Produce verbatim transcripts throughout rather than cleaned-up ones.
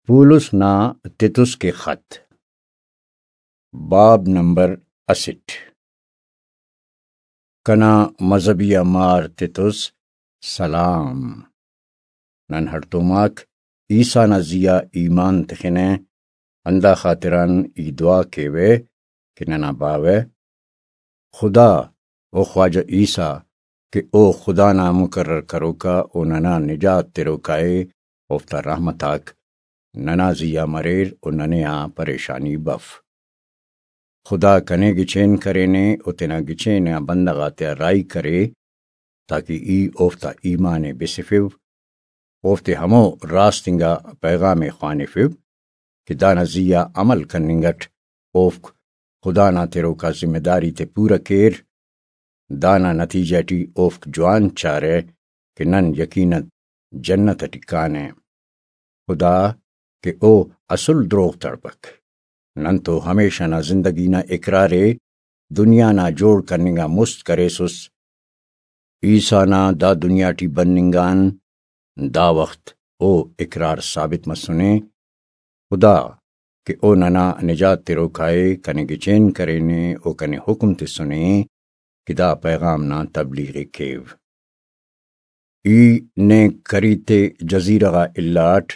پولس نا تتس کے خط۔ باب نمبر اسٹ۔ کنا مذہبی آ مار تتس، سلام۔ نن ہڑتوماک عیسیٰ نا زی آ ایمان تخنہ، ہندا خاطران ای دعا کیوہ کہ ننا باوہ خدا و خواجہ عیسیٰ کہ او خدا نا مقرر کروکا و ننا نجات تروکا ءِ، اوفتا رحمت آک ننا زی آ مریر و ننے آ پریشانی بف۔ خدا کنے گچین کرینے و تینا گچین آ بندغ آتیا راہی کرے، تاکہ ای اوفتا ایمان ءِ بسفو، اوفتے ہمو راست انگا پیغام ءِ خوانفو کہ دانا زی آ عمل کننگ اٹ اوفک خدا نا تروکا ذمہ داری تے پورہ کیر۔ دانا نتیجہ ٹی اوفک جوان چارہ کہ نن یقیناً جنت ٹی کانہ۔ خدا کہ او اسل دروغ تڑپک۔ نن تو ہمیشہ نا زندگی نا اقرار ءِ دنیا نا جوڑ کننگ آ مست کریسس۔ عیسیٰ نا دا دنیا ٹی بننگ آن دا وخت او اقرار ثابت مسنے۔ خدا کہ او ننا نجات تروکا ءِ کنے گچین کرینے و کنے حکم تسنے کہ دا پیغام نا تبلیغ ءِ کیو۔ ای نے کریتے جزیرہ غا الاٹ،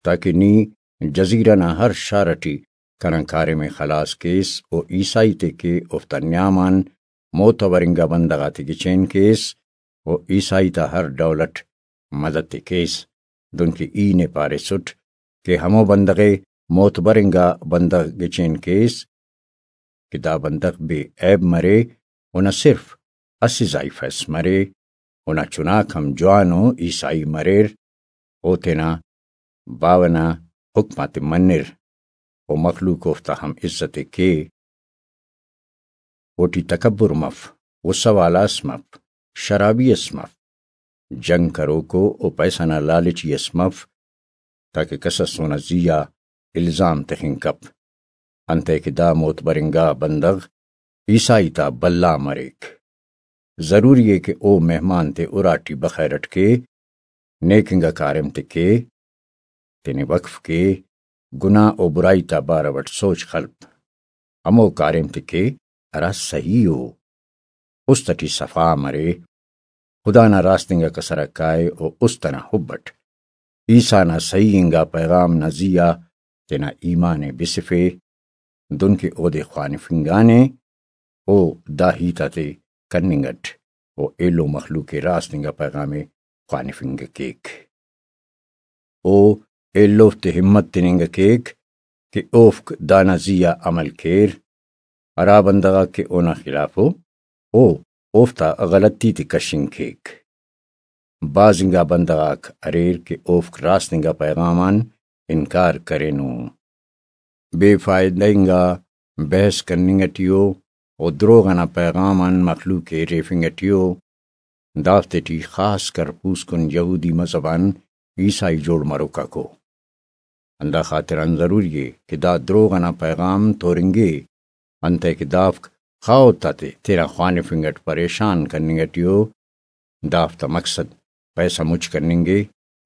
تاکہ نی جزیرہ نا ہر شار ٹی کنا کاریم ءِ خلاس کیس و عیسائی تے کہ اوفتا نیام آن معتبر انگا بندغ آتے گچین کیس و عیسائی تا ہر ڈول اٹ مدد تے کیس، دنکہ ای نے پاریسٹ کہ ہمو بندغ ءِ معتبر انگا بندغ گچین کیس کہ دا بندغ بے عیب مرے، اونا صرف اسہ زائیفس مرے، اونا چناک ہم جوان و عیسائی مریر، او تینا باوہ نا حکم آتے منر و مخلوق اوفتا ہم عزت ءِ کے۔ اوٹی تکبر مف، غصہ والا اس مف، شرابی اس مف، جنگ کروکو و پیسہ نا لالچی اس مف، تاکہ کس اس اونا زی آ الزام تخنگ کپ، انتئے کہ دا معتبر انگا بندغ عیسائی تا بھلا مریک۔ ضروری ءِ کہ او مہمان تے اراٹی بخیر اٹ کے، نیک انگا کاریم تے کے، تینے وقف کے، گناہ و برائی تا بارو اٹ سوچ خلپ، ہمو کاریم تے کے ہرا صحیح ءُ، است اٹی صفا مرے، خدا نا راست انگا کسر آ کائے و است انا حب اٹ عیسیٰ نا صحیح انگا پیغام نا زی آ تینا ایمان ءِ بسفے، دنکہ اودے خوانفنگانے، او دا ہیت آتے کننگ اٹ او ایلو مخلوق ءِ راست انگا پیغام ءِ خوانفنگ کیک۔ او ایلوفتے ہمت تننگ کیک کہ اوفک دانا زی آ عمل کیر۔ ہرا بندغ آک کہ اونا خلاف ءُ، او اوفتا غلطی تے کشنگ کیک۔ بھاز انگا بندغ آک اریر کہ اوفک راست انگا پیغام آن انکار کرینو۔ بے فائدہ انگا بحث کننگ ٹی ءُ و دروغ انا پیغام آن مخلوق ءِ اریفنگ ٹی ءُ، دافتے ٹی خاص کر پوسکن یہودی مذہب آن عیسائی جوڑ مروک آک ءُ۔ ہندا خاطران ضروری ءِ کہ دا دروغ انا پیغام تورنگے، انتئے کہ دافک خاہوت آتے تینا خوانفنگ اٹ پریشان کننگ ٹی ءُ، دافتا مقصد پیسہ مچ کننگ ءِ،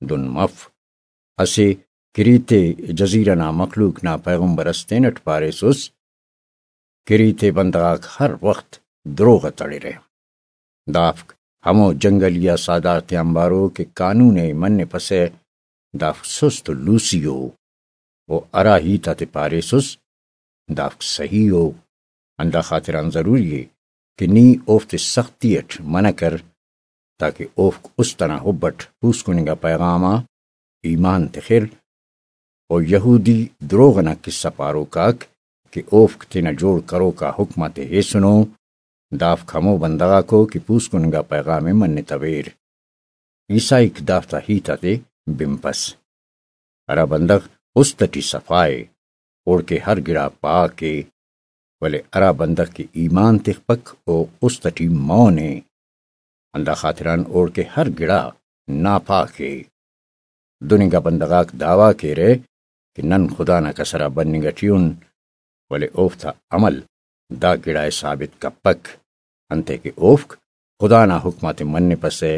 دن مف۔ اسہ کریتے جزیرہ نا مخلوق نا پیغمبر اس تینٹ پاریسس، کریتے بندغ آک ہر وخت دروغ ءِ تڑرہ۔ دافک ہمو جنگلی آ ساہدار تیانبارو کہ قانون ءِ منپسہ، دافک سست و لوسی ءُ، و ہرا ہیت آتے پاریسس دافک صحیح ءُ۔ ہندا خاطران ضروری ءِ کہ نی اوفتے سختی اٹ منع کر، تاکہ اوفک است انا حب اٹ پوسکن انگا پیغام آ ایمان تخر۔ و یہودی دروغ انا قصہ پاروک آک کہ اوفک تینا جوڑ کروک آ حکم آتے ہیسنو، دافک ہمو بندغ آکو کہ پوسکن انگا پیغام ءِ منتویر۔ عیسائیک دافتا ہیت آتے بنپس۔ ہرا بندغ است اٹی صفا ءِ، اوڑکہ ہر گڑا پاک ءِ، ولے ہرا بندغ کہ ایمان تخپک، او است اٹی مون ءِ، ہندا خاطران اوڑکہ ہر گڑا ناپاک ءِ۔ دن انگا بندغ آک دعویٰ کیرہ کہ نن خدا نا کسر آ بننگ ٹی ان، ولے اوفتا عمل دا گڑا ءِ ثابت کپک، انتئے کہ اوفک خدا نا حکم آتے منپسہ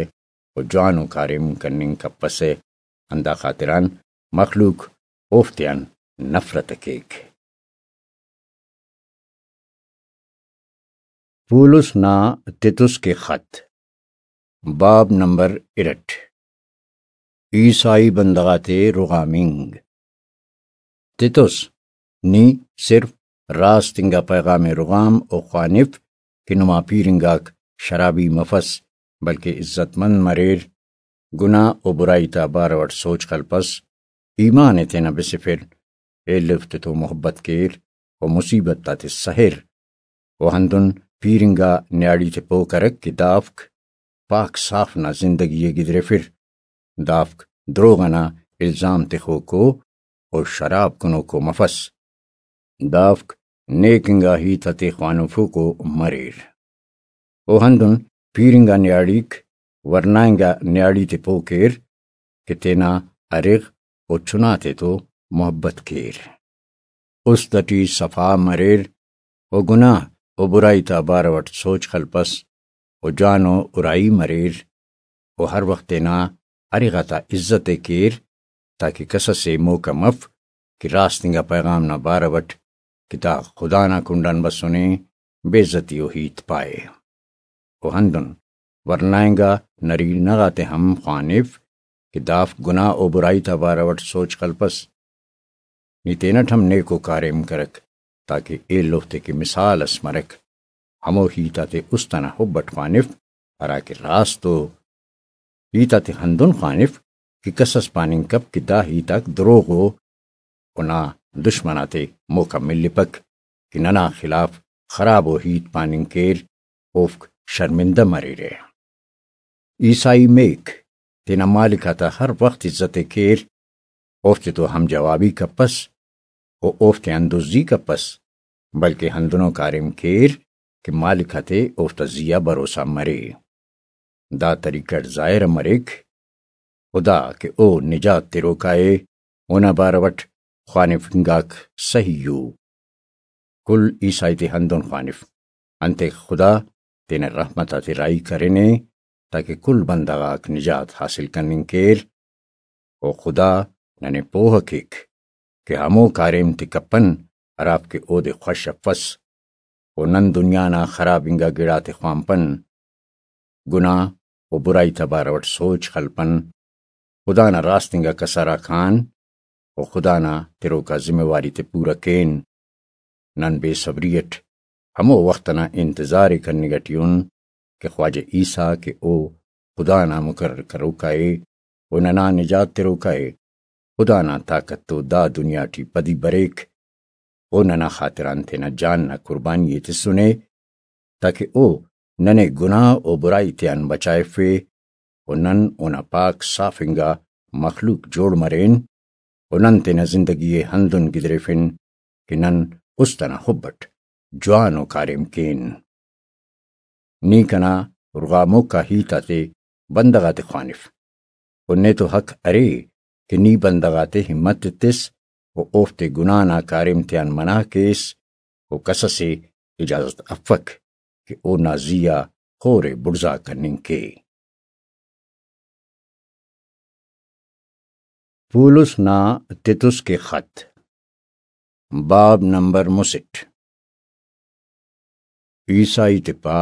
و جوانو کاریم کننگ کپسہ۔ ہندا خاطران مخلوق اوفتیان نفرت ء کیک۔ پولس نا تتس کے خط، باب نمبر ارٹ۔ عیسائی بندغ آتے رغامنگ۔ تتس، نی صرف راست انگا پیغام رغام و خوانف کہ نما پیر انگاک شرابی مفس، بلکہ عزت مند مریر، گناہ و برائی تا بارو اٹ سوچ خلپس، ایمان ء تینا بسفر، ایلو تتو محبت کیر و مصیبت آتے سہر، و ہندن پیر انگا نیاڑی تے پہہ کرک کہ دافک پاک صاف نا زندگی ء گدریفر۔ دافک دروغ ئنا الزام تخوکو و شراب کنوکو مفس۔ دافک نیک انگا ہیت آتے خوانفوکو مریر۔ و ہندن پیر انگا نیاڑیک ورنا انگا نیاڑی تے پہہ کیر کہ تینا ارغ و چنا تیتو محبت کیر۔ است ٹی صفا مریر و گناہ و برائی تا بارو اٹ سوچ خلپس و جوانو ارائی مریر و ہر وخت تینا ارغ آتا عزت ء کیر، تاکہ کس اسے موقع مف کہ راست انگا پیغام نا بارو اٹ کہ دا خدا نا کنڈان بسنے، بے عزتی و ہیت پائے۔ و ہندن ورنائنگا نرینہ غاتے ہم خوانف کہ دافک گناہ و برائی تا بارو اٹ سوچ خلپس۔ نی تینٹ ہم نیکو کاریم کرک، تاکہ ایلو تے کہ مثال اس مرک، ہمو ہیت آتے است انا حب اٹ خوانف، ہرا کہ راست ء۔ ہیت آتے ہندن خوانف کہ کس اس پاننگ کپ کہ دا ہیت آک دروغ ء، و نا دشمن آتے موقع ملپک کہ ننا خلاف خراب و ہیت پاننگ کیر، اوفک شرمندہ مریرہ۔ عیسائی میک تینا مالک آتا ہر وخت عزت ء کیر، اوفتے تو ہم جوابی کپس و اوفتیان دزی کپس، بلکہ ہندنو کاریم کیر کہ مالک آتے اوفتا زی آ بھروسہ مرے۔ دا طریقہ اٹ ظاہر مریک، و دا کہ او نجات تروکا ء، اونا بارو اٹ خوانفنگاک سہی ء۔ کل عیسائی تے ہندن خوانف، انتئے خدا تینا رحمت آتے راہی کرینے، تاکہ کل بندغ آک نجات حاصل کننگ کیر۔ و خدا ننے پوہ کیک کہ ہمو کاریم تے کپن، ہرافک اودے خوش افس، و نن دنیا نا خراب انگا گڑاتے خوانپن، گناہ و برائی تا بارو اٹ سوچ خلپن، خدا نا راست انگا کسر آک آن و خدا نا تروکا ذمہ واری تے پورہ کین۔ نن بے صبری اٹ ہمو وخت ئنا انتظار ءِ کننگ ئٹی ان کہ خواجہ عیسیٰ کہ او خدا نا مقرر کروکا ءِ و ننا نجات تروکا ءِ، خدا نا طاقت تو دا دنیا ٹی پدی بریک، او ننا خاطران تینا جان نا قربانی ءِ تسنے، تاکہ او ننے گناہ و برائی تیان بچائفے و نن اونا پاک صاف انگا مخلوق جوڑ مرین و نن تینا زندگی ءِ ہندن گدریفن کہ نن است ئنا حب اٹ جوانو کاریم کین۔ نی کنا رغاموک آ ہیت آتے بندغ آتے خوانف و نے تو حق ارے کہ نی بندغ آتے ہمت ایتس و اوفتے گناہ نا کاریم تیان منع کیس و کس ئسے اجازت افک کہ اونا زی آ خور ءِ بڑزا کننگ کے۔ پولس نا تتس کے خط، باب نمبر مسٹ۔ عیسائی تے پا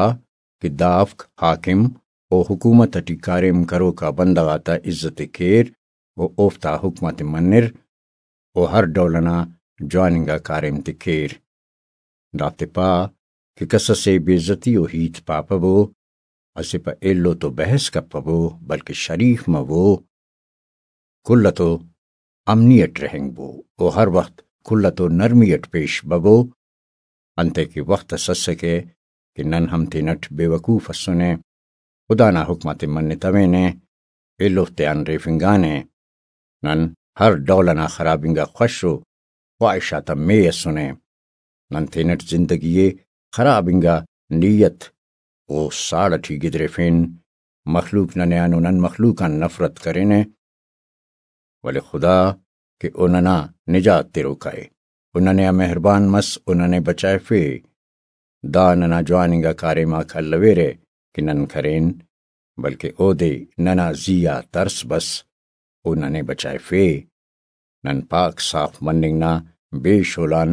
کہ دافک حاکم و حکومت ٹی کاریم کروکا بندغ آتا عزت ءِ کیر و اوفتا حکم آتے منر و ہر ڈول ئنا جوان انگا کاریم تے کیر۔ دافتے پا کہ کس ئسے بے عزتی و ہیت پاپبو، اسہ پہ ایلو تو بحث کپبو، بلکہ شریف مبو۔ کل تو امنی اٹ رہینگبو و ہر وخت کل تو نرمی اٹ پیش ببو، انتئے کہ وخت اس اسکہ کہ نن ہم تینٹ بے وقوف اسنے۔ خدا نا حکم آتے منتوینے، ایلوفتے آن ریفنگانے۔ نن ہر ڈول ئنا خراب انگا خوش و خواہش آتا مے اسنے۔ نن تینٹ زندگی ءِ خراب انگا نیت و ساڑ ٹی گدریفین۔ مخلوق ننے آن و نن مخلوق آن نفرت کرینے، ولے خدا کہ او ننا نجات تروکا ءِ و ننے آ مہربان مس و ننے بچائفے۔ دا ننا جوان انگا کاریم آک الویرہ کہ نن کرین، بلکہ اودے ننا زی آ ترس بس و ننے بچائفے۔ نن پاک صاف مننگ نا بے شولان،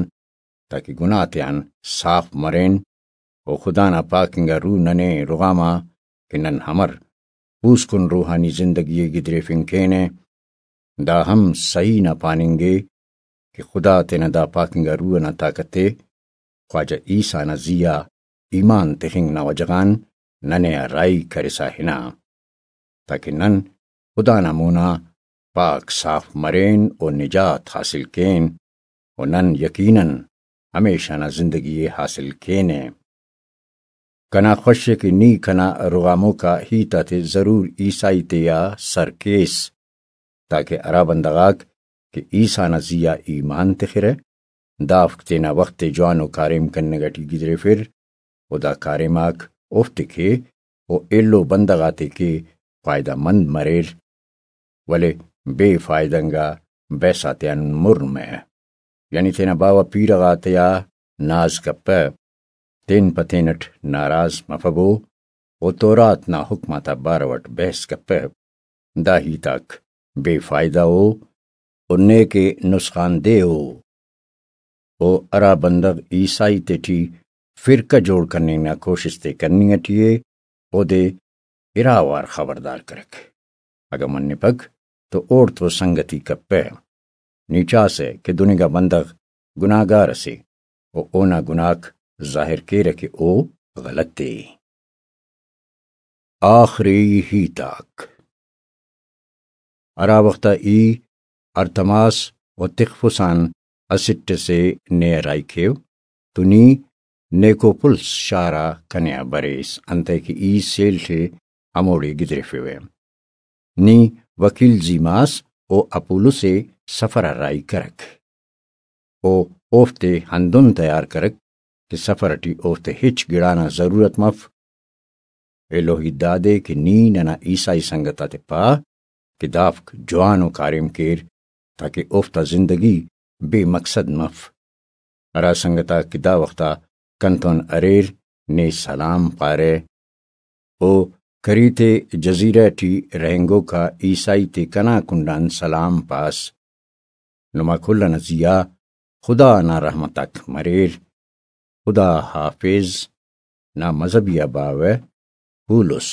تاکہ گناہ تیان صاف مرین، و خدا نا پاک انگا روح ننے رغاما کہ نن امر پوسکن روحانی زندگی ء گدریفنگ کینہ۔ دا ہم سہی نا پاننگ ء کہ خدا تینا دا پاک انگا روح ئنا طاقت ء خواجہ عیسی نا زی آ ایمان تخنگ نا وجہ غان ننے آ راہی کرسا ہنا، تاکہ نن خدا نا مونا پاک صاف مرین و نجات حاصل کین، و نن یقیناً ہمیشہ نا زندگی ء حاصل کینہ۔ کنا خوش ء کہ نی کنا رغاموکا ہیت آتے ضرور عیسائی تے آ سر کیس، تاکہ ہرا بندغ آک کہ عیسی نا زی آ ایمان تخرہ، دافک تینا وخت ء جوانو کاریم کننگ اٹی گدریفر، و دا کاریم آک اوفتے کے و ایلو بندغ آتے کے فائدہ مند مریر، ولے بے فائدہ انگا بحث آتیان مر مہ، یعنی تینا باوہ پیرہ غاتیا ناز کپہ، تین پہ تینٹ ناراض مفبو، و تورات نا حکم آتا بارو اٹ بحث کپہ۔ دا ہیت آک بے فائدہ ء و نیکہ نسخان دہ ء۔ و ہرا بندغ عیسائی تیٹی فرقہ جوڑ کننگ نا کوشست ء کننگ اٹی ء، اودے اراوار خبردار کرک۔ اگہ منپک تو اوڑتو سنگتی کپہ۔ نی چاسہ کہ دن انگا بندغ گناہگار اسے و اونا گناہک ظاہر کیرہ کہ او غلط ء۔ آخری ہیت آک۔ ہرا وخت آ ای ارتماس و تخفس آن اسٹ اسے نے راہی کیو، تو نی نیکوپلس شار آ کنے آ بریس، انتئے کہ ای سیل ٹی ہموڑے گدریفیوہ۔ نی وکیل زیماس و اپولس ء سفر آ راہی کرک۔ او اوفتے ہندن تیار کرک کہ سفر اٹی اوفتے ہچ گڑا نا ضرورت مف۔ ایلو ہیت دادے کہ نی ننا عیسائی سنگت آتے پا کہ دافک جوانو کاریم کیر، تاکہ اوفتا زندگی بے مقصد مف۔ ہرا سنگت آک کہ دا وخت آ کنتون اریر، نے سلام پارہ۔ او کریتے جزیرہ ٹی رہینگوکا عیسائی تے کنا کنڈان سلام پاس۔ نما کل ئنا زیہا خدا نا رحمت آک مریر۔ خدا حافظ۔ نا مذہبی آ باوہ پولس۔